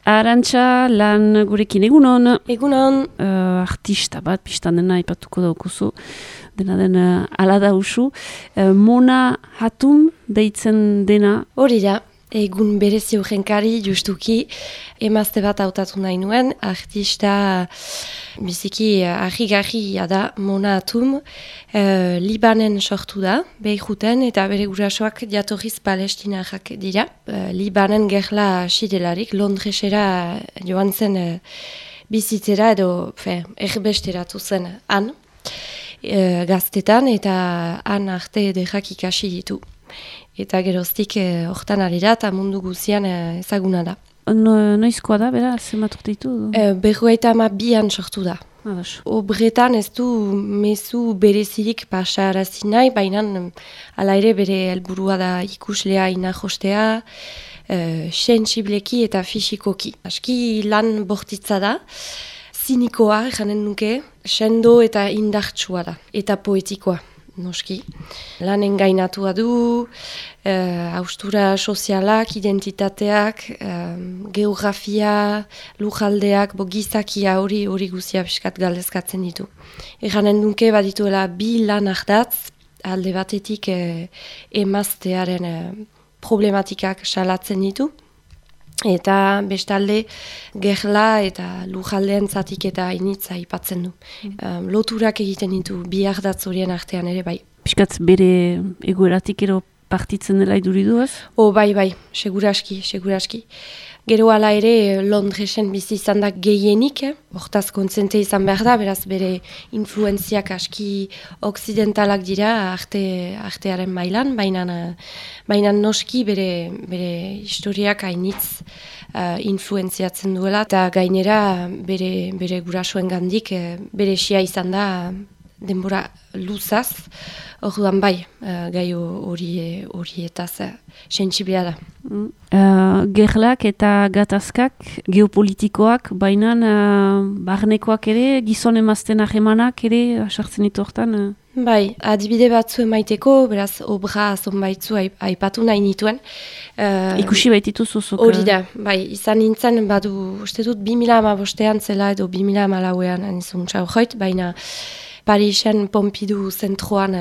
Arantxa lan gurekin egunon. Egunon. Artista bat, pistan dena ipatuko daukuzu, dena ala da usu. Mona Hatoum deitzen dena. Hori da, egun berezi urrenkari justuki emazte bat hautatu nahi nuen. Artista biziki argi-garria da Mona Hatoum. Libanen sortu da, Beiruten, eta bere gurasoak jatorriz palestinarrak dira. Libanen gerla xidelarik, Londresera joan zen bizitzera edo erbesteratu zen han, gaztetan, eta han arte ederrak ikasi ditu. Eta geroztik hortan ari da, eta mundu guzian ezaguna da. Noizkoa da, bera, zenbat urte ditu? 52an sortu da. Obretan ez du mezu berezirik pasarazi nahi, baina hala ere bere helburua da ikuslea inajostea, sentsibleki eta fisikoki. Aski lan bortitza da, zinikoa, janen nuke, sendo eta indartsua da, eta poetikoa. Noski. Lanen gainatua du, haustura sozialak, identitateak, geografia, lujaldeak, gizakia hori guzia piskat galdezkatzen ditu. Eranen duke badituela bi lan ardatz, alde batetik emaztearen problematikak salatzen ditu, eta bestalde gerla eta lujaldean zatik eta initza aipatzen du. Loturak egiten ditu bi ardatz horien artean ere bai. Piskat bere egoeratik ero partitzen dela iduriduaz? Bai, seguraski. Gero hala ere Londresen bizi izan da gehienik, hortaz kontzente izan behar da, beraz bere influenziak aski oksidentalak dira artearen mailan, baina noski bere historiak hainitz influenziatzen duela, eta gainera bere gurasoen gandik bere xia izan da denbora luzaz, orduan bai, gai horietaz sentsiblea da. Gerlak eta gatazkak, geopolitikoak, baina barnekoak ere, gizon emazten ahemanak ere, sartzen ditu hortan? Bai, adibide batzu emaiteko, beraz, obra zonbaitzu aipatu nahi nituen. Ikusi baititu zuzuk? Hori da, bai, izan nintzen, badu, uste dut 2015an zela edo 2014an anizun txaujoit, baina Parisen Pompidou zentroan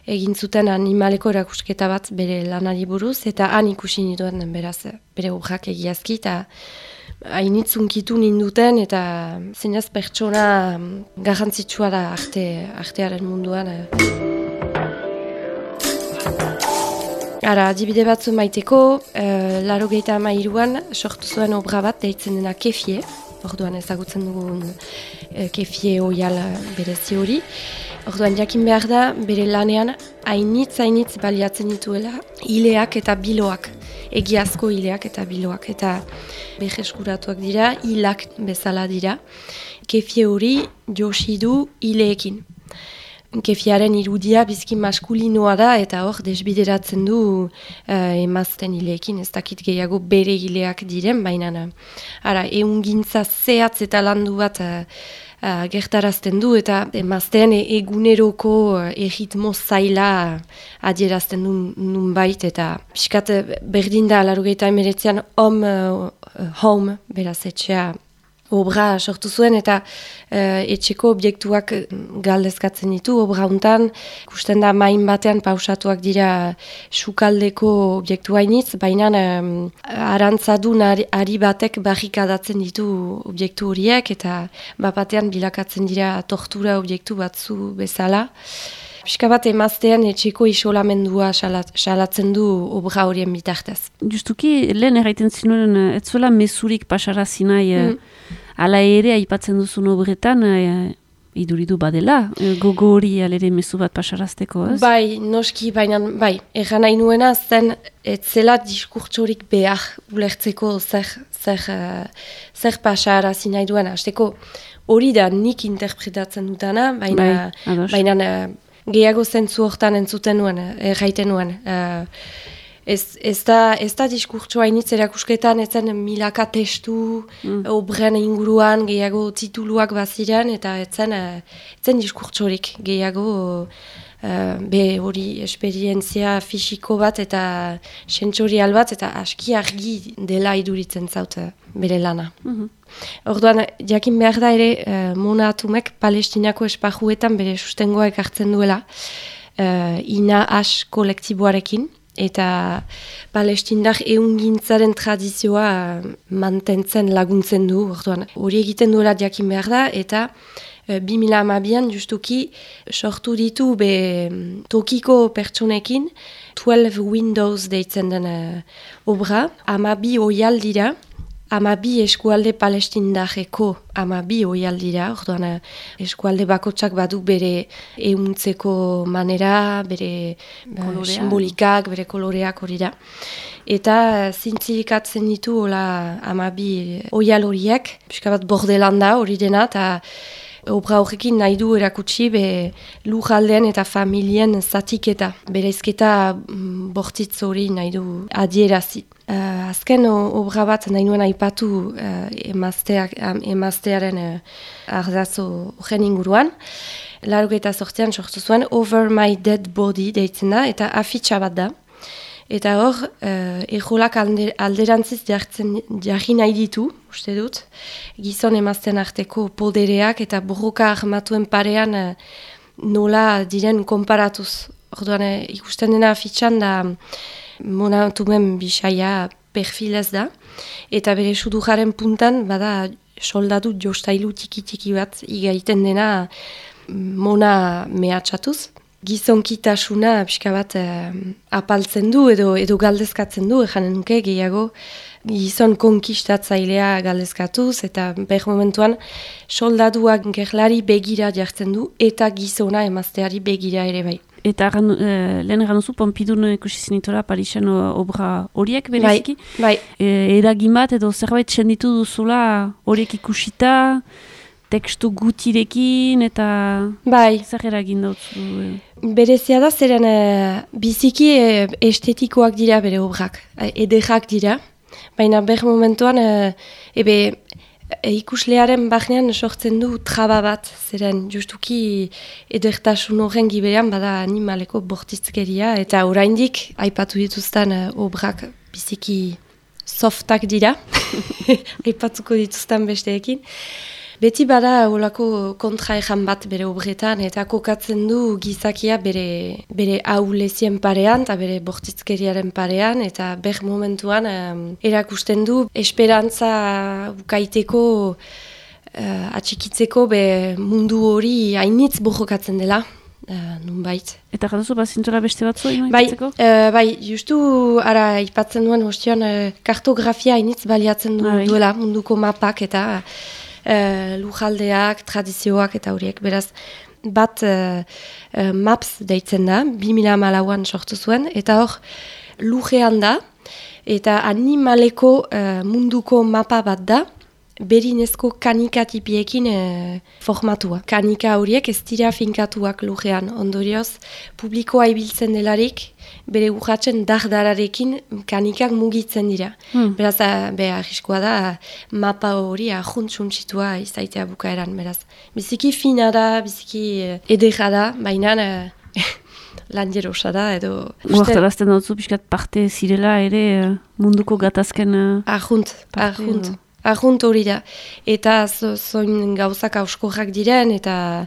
egin zuten animaleko erakusketa bat bere lanari buruz, eta han ikusi nituen beraz bere obrak egiazki, eta hainitzunkitu ninduten, eta zinez pertsona garrantzitsua da artearen munduan. Adibide batzu maiteko, 83an sortu zuen obra bat deitzen dena Kefie, orduan ezagutzen dugun Kefie oial berezi hori. Orduan jakin behar da, bere lanean hainitz baliatzen dituela hileak eta biloak, egiazko hileak eta biloak, eta beheskuratuak dira, hilak bezala dira. Kefie hori josi du hileekin. Kefiaren irudia bizki maskulinoa da, eta hor desbideratzen du emazten hileekin, ez dakit gehiago bere hileak diren, baina ehungintza zehatz eta landu bat gertarazten du, eta emazten eguneroko erritmo zaila adierazten du nunbait, eta piskat berdin da 89an home, beraz etxea, obra sortu zuen, eta etxeko objektuak galdezkatzen ditu, obra hontan, ikusten da main batean pausatuak dira sukaldeko objektu hainitz, baina arantzadun ari batek barrikadatzen ditu objektu horiek, eta batean bilakatzen dira tortura objektu batzu bezala. Piska bat emaztean etxeko isolamendua salatzen du obra horien bitartez. Justuki, lehen erraiten zinuen, ez zuela mezurik pasarazi nahi, ala ere aipatzen duzun obretan, iduridu badela, gogo hori alere mezu bat pasarazteko, ez? Bai, noski, baina, bai, erran nahi nuena zen, ez zela diskurtsorik behar ulertzeko zer pasarazi nahi duena. Azteko hori da nik interpretatzen dutana, baina gehiago zentzu hortan entzuten nuen, erraiten nuen. Ez da diskurtsoa initz erakusketan, ezen milaka testu, obren inguruan, gehiago tituluak baziren, eta etzen diskurtsorik gehiago be hori esperientzia fisiko bat eta sentsorial bat eta aski argi dela iduritzen zaut bere lana. Orduan, jakin behar da ere Mona Hatumek Palestinako espajuetan bere sustengoa ekartzen duela Ina Ash kolektiboarekin eta palestindar eungintzaren tradizioa mantentzen laguntzen du. Orduan, hori egiten duela jakin behar da eta 2012an justuki sortu ditu tokiko pertsonekin 12 Windows deitzen den obra. 12 oial dira, 12 eskualde palestindareko 12 oial dira. Orduan eskualde bakotsak badu bere ehuntzeko manera, bere simbolikak, bere koloreak hori da. Eta zintzilikatzen ditu hola 12 oial horiek, pixka bat bordelanda hori dena, eta obra horrekin nahi du erakutsi lujaldean eta familien zatiketa, bereizketa bortitz hori nahi du adierazi. Azken obra bat nahi nuen aipatu emaztearen ardazo horren inguruan. 88an sortu zuen Over My Dead Body deitzen da, eta afitxa bat da. Eta hor, ejolak alderantziz jarri nahi ditu, uste dut, gizon emazten arteko podereak eta borroka armatuen parean nola diren konparatuz. Orduan, ikusten dena afitxan da Mona Hatumen bisaia perfilez da, eta bere sudujaren puntan bada soldadu jostailu tiki bat igaiten dena Mona mehatxatuz. Gizonkitasuna pixka bat apaltzen du edo galdezkatzen du, janen nuke gehiago gizon konkistatzailea galdezkatuz, eta behar momentuan soldaduak gerlari begira jartzen du, eta gizona emazteari begira ere bai. Eta lehen egan duzu, Pompidun ikusi zinitora Parisen obra horiek bereziki? Bai. Eragin bat edo zerbait senditu duzula horiek ikusita, tekstu gutirekin eta zer eragin dautzu? Berezia da, zeren biziki estetikoak dira bere obrak, ederrak dira, baina behar momentuan ikuslearen bahnean sortzen du traba bat, zeren justuki edertasun horren giberean bada animaleko bortizkeria, eta oraindik aipatu dituzten obrak biziki softak dira, aipatuko dituzten besteekin. Beti bada olako kontraejan bat bere obretan, eta kokatzen du gizakia bere ahulezien parean, eta bere bortizkeriaren parean, eta ber momentuan erakusten du esperantza bukaiteko, atxikitzeko mundu hori hainitz borrokatzen dela, nunbait. Eta jaduzu bazintora beste batzu? Bai, justu ara ipatzen duen ostion kartografia hainitz baliatzen duela munduko mapak eta lujaldeak, tradizioak eta horiek. Beraz, bat maps deitzen da, 2014an sortu zuen, eta hor lujean da, eta animaleko munduko mapa bat da, berinezko kanikatipiekin formatua. Kanika horiek ez dira finkatuak lujean, ondorioz, publikoa ibiltzen delarik, bere urratzen dardararekin kanikak mugitzen dira. Beraz, arriskoa da, mapa hori ajuntsuntsitua izaitea bukaeran. Beraz, biziki fina da, biziki edera da, baina lanjerosa da, edo... Guartarazten dautzu, pixkat parte zirela ere munduko gatazken... Ajunt hori da. Eta zoin gauzak auskorrak diren, eta...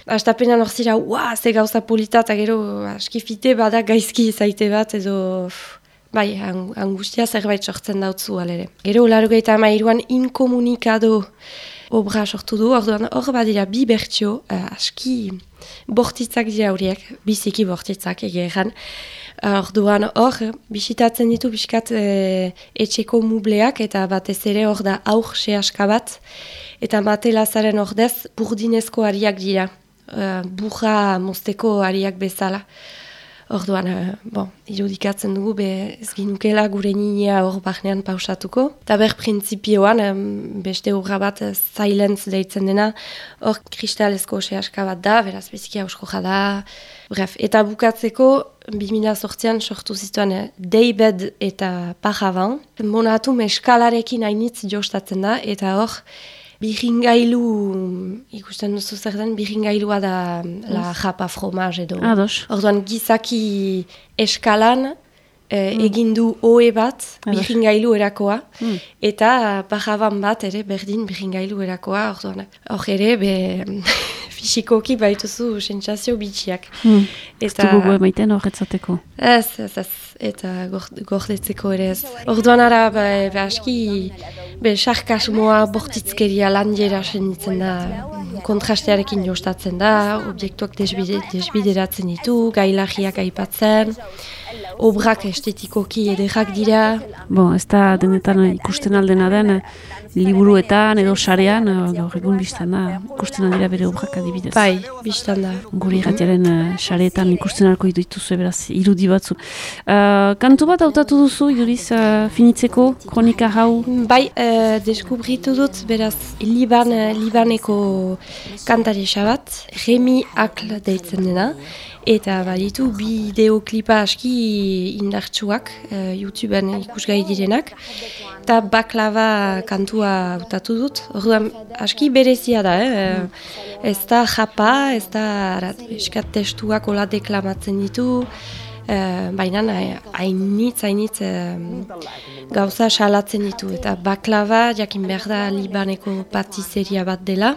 Astapenan hor zira, ze gauza polita, eta gero askifite bada gaizki zaite bat, edo bai, angustia zerbait sortzen dautzu alere. Gero 93an inkomunikado obra sortu du, hor badira bi bertsio, aski bortitzak dira horiek, biziki bortitzak egeran. Orduan hor, bisitatzen ditu biskat etxeko mubleak, eta batez ere hor da aur sehaska bat, eta matelazaren ordez burdinezko ariak dira. Burra mozteko ariak bezala. Orduan, irudikatzen dugu, ez ginukela gure ninea hor bahnean pausatuko. Eta ber printzipioan, beste urra bat silence deitzen dena, hor kristalezko sehaska bat da, beraz biziki hausko jada. Bref, eta bukatzeko, 2008an sortu zituen Daybed eta Pajavan. Mona Hatume eskalarekin hainitz jostatzen da, eta hor, Birringailu, ikusten duzu zer den, birringailua da la japa fromage edo. Orduan gizaki eskalan egin du oe bat birringailu erakoa, eta bajaban bat ere berdin birringailu erakoa, orduan. Hor ere, fisikoki baituzu sentsazio bitxiak. Ez du gogo emaiten horretzateko? Ez, eta gordetzeko ere ez. Orduan ara, aski, sarkasmoa bortitzkeria landiera senditzen da, kontrastearekin jostatzen da, objektuak desbideratzen ditu, gailagiak aipatzen, obrak estetikoki ederrak dira. Ez da denetan ikusten aldena den, liburuetan edo sarean, gaur egun biztan da, ikusten aldera bere obrak adibidez. Bai, biztan da. Guri irratiaren sareetan ikusten alko dituzu, beraz, irudi batzu. Kantu bat hautatu duzu, Iduriz, finitzeko, kronika hau? Bai, deskubritu dut, beraz, Libaneko kantarisa bat, Remi Akl deitzen dena, eta baditu bideoklipa aski indartsuak, YouTubeen ikusgai direnak, eta baklava kantua hautatu dut. Orduan, aski berezia da, ez da japa, ez da eskat testuak ola deklamatzen ditu, baina hainitz gauza salatzen ditu. Eta baklava, jakin behar da Libaneko patizeria bat dela,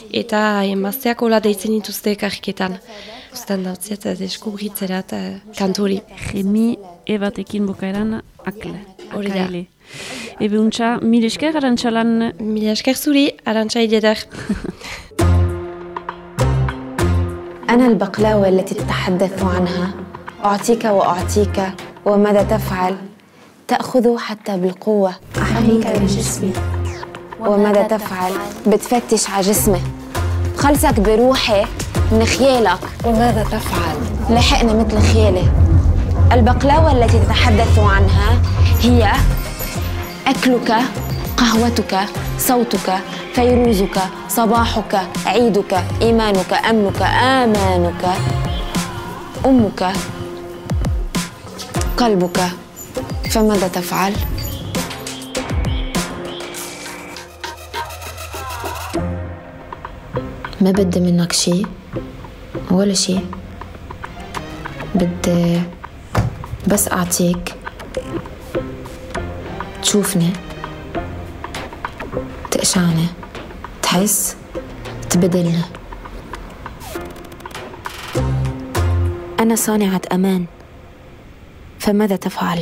eta emazteak ola deitzen dituzte ekarriketan. Uztan dautziat, deskubritzerat kanturi. Remi ebatekin bukaeran akle. Hori da. Ebe untxa, mil esker Arantxalan? Mil esker zuri, Arantxa ideder. أنا البقلاوة التي تتحدث عنها أعطيك وأعطيك وماذا تفعل تأخذ حتى بالقوة أحميك بجسمي وماذا تفعل بتفتش على جسمي خلصك بروحي من خيالك وماذا تفعل لحقنا مثل خيالي البقلاوة التي تتحدث عنها هي أكلك قهوتك صوتك فيروزك صباحك عيدك إيمانك أمنك آمانك أمك قلبك فماذا تفعل؟ ما بدي منك شيء ولا شيء بدي بس أعطيك تشوفني تقشعني تحس تبدلني أنا صانعة أمان فماذا تفعل؟